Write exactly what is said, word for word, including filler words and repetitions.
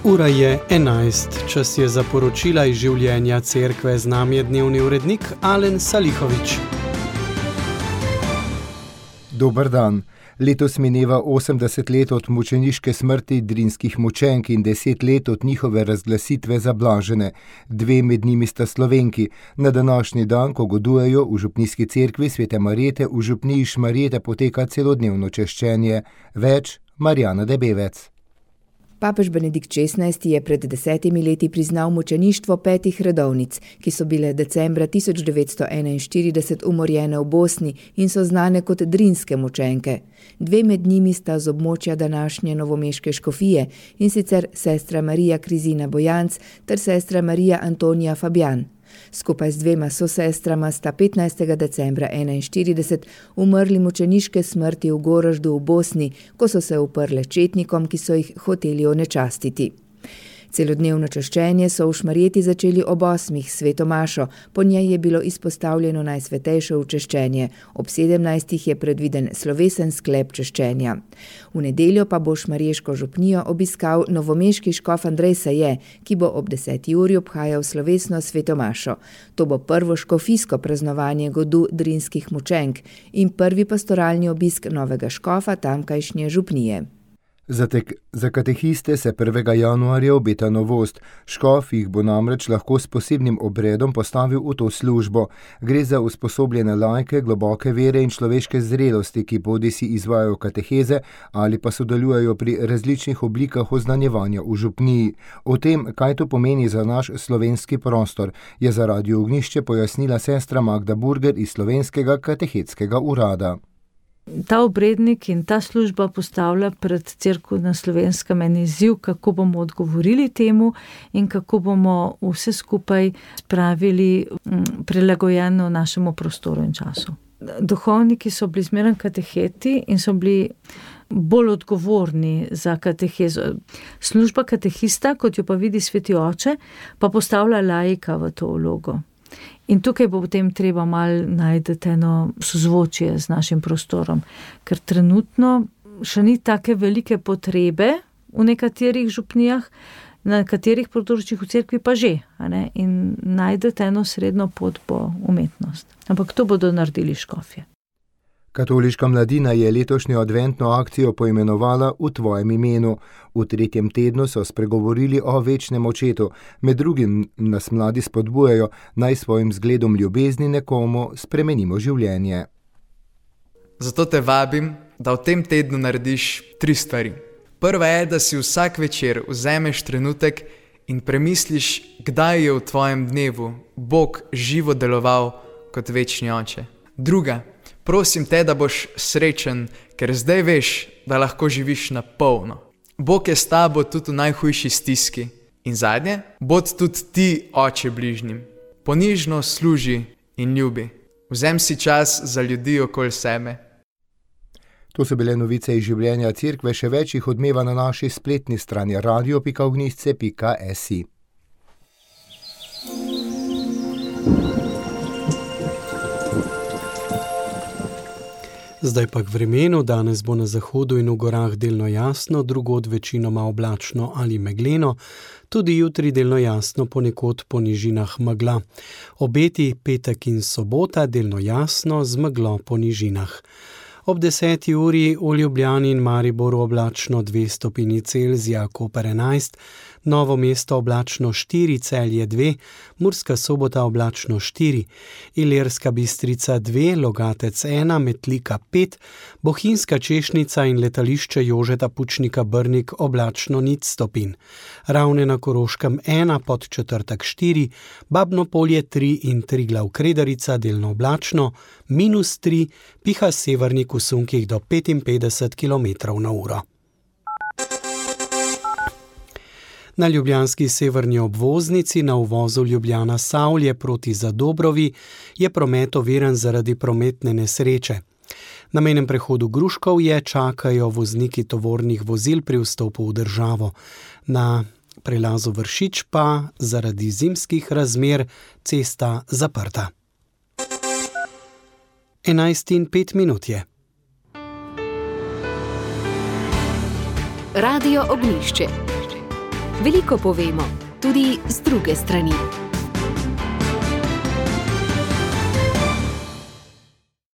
Ura je enajst, čas je za poročila iz življenja cerkve, z nami je dnevni urednik Alen Salihovič. Dober dan. Letos mineva osemdeset let od mučeniške smrti drinskih mučenk in deset let od njihove razglasitve za blažene. Dve med njimi sta Slovenki. Na današnji dan, ko godujejo v župnijski cerkvi Svete Marjete, v župniji Šmarjete poteka celodnevno češčenje. Več Marjana Debevec. Papež Benedikt šestnajsti je pred desetimi leti priznal mučeništvo petih redovnic, ki so bile decembra tisoč devetsto enainštirideset umorjene v Bosni in so znane kot drinske mučenke. Dve med njimi sta z območja današnje novomeške škofije, in sicer sestra Marija Krizina Bojanc ter sestra Marija Antonija Fabjan. Skupaj z dvema sosestrama sta petnajstega decembra enainštirideset umrli mučeniške smrti v Goraždu v Bosni, ko so se uprle četnikom, ki so jih hoteli onečastiti. Celodnevno češčenje so v Šmarjeti začeli ob osmih sveto mašo, po njej je bilo izpostavljeno najsvetejše učeščenje, ob sedemnajstih je predviden slovesen sklep češčenja. V nedeljo pa bo šmarješko župnijo obiskal novomeški škof Andrej Saje, ki bo ob deseti uri obhajal slovesno sveto mašo. To bo prvo škofijsko praznovanje godu drinskih mučenk in prvi pastoralni obisk novega škofa tamkajšnje župnije. Za, tek, za katehiste se prvega januarja obeta novost. Škof jih bo namreč lahko s posebnim obredom postavil v to službo. Gre za usposobljene laike, globoke vere in človeške zrelosti, ki bodisi izvajajo kateheze ali pa sodelujejo pri različnih oblikah oznanjevanja v župniji. O tem, kaj to pomeni za naš slovenski prostor, je za Radio Ognjišče pojasnila sestra Magda Burger iz Slovenskega katehetskega urada. Ta obrednik in ta služba postavlja pred cerkev na Slovenskem en izziv, kako bomo odgovorili temu in kako bomo vse skupaj spravili prilagojeno našemu prostoru in času. Duhovniki so bili zmeraj kateheti in so bili bolj odgovorni za katehezo. Služba katehista, kot jo pa vidi sveti oče, pa postavlja laika v to vlogo. In tukaj bo potem treba malo najti eno sozvočje z našim prostorom, ker trenutno še ni take velike potrebe v nekaterih župnijah, na nekaterih področjih v cerkvi pa že, a ne? In najti eno srednjo pot bo umetnost. Ampak to bodo naredili škofje. Katoliška mladina je letošnjo adventno akcijo poimenovala V tvojem imenu. V tretjem tednu so spregovorili o večnem očetu. Med drugim nas mladi spodbujajo, naj svojim zgledom ljubezni nekomu spremenimo življenje. Zato te vabim, da v tem tednu narediš tri stvari. Prva je, da si vsak večer vzameš trenutek in premisliš, kdaj je v tvojem dnevu Bog živo deloval kot večni oče. Druga, prosim te, da boš srečen, ker zdaj veš, da lahko živiš na polno. Bog je s tabo tudi v najhujši stiski. In zadnje, bod tudi ti oče bližnjim. Ponižno služi in ljubi. Vzem si čas za ljudi okoli sebe. To so bile novice iz življenja cerkve, še več jih odmeva na naši spletni strani radio pika ognjišče pika si. Zdaj pa k vremenu. Danes bo na zahodu in v gorah delno jasno, drugod večinoma oblačno ali megleno, tudi jutri delno jasno, ponekod po nižinah megla. Obeti petek in sobota delno jasno z meglo po nižinah. Ob deseti uri v Ljubljani in Mariboru oblačno dve stopinji Celzija, Koper enajst, Novo mesto oblačno štiri, Celje dve, Murska Sobota oblačno štiri, Ilirska Bistrica dve, Logatec ena, Metlika pet, Bohinjska Češnica in letališče Jožeta Pučnika Brnik oblačno nič stopinj. Ravne na Koroškem ena, Podčetrtek štiri, Babno Polje tri in Triglav Kredarica delno oblačno, minus tri, piha severnik v sunkih do petinpetdeset kilometrov na uro. Na ljubljanski severni obvoznici na uvozu Ljubljana-Savlje proti Zadobrovi je promet oviran zaradi prometne nesreče. Na mejnem prehodu Gruškovje čakajo vozniki tovornih vozil pri vstopu v državo. Na prelazu Vršič pa zaradi zimskih razmer cesta zaprta. enajst in pet minut je. Radio Ognjišče. Veliko povemo, tudi z druge strani.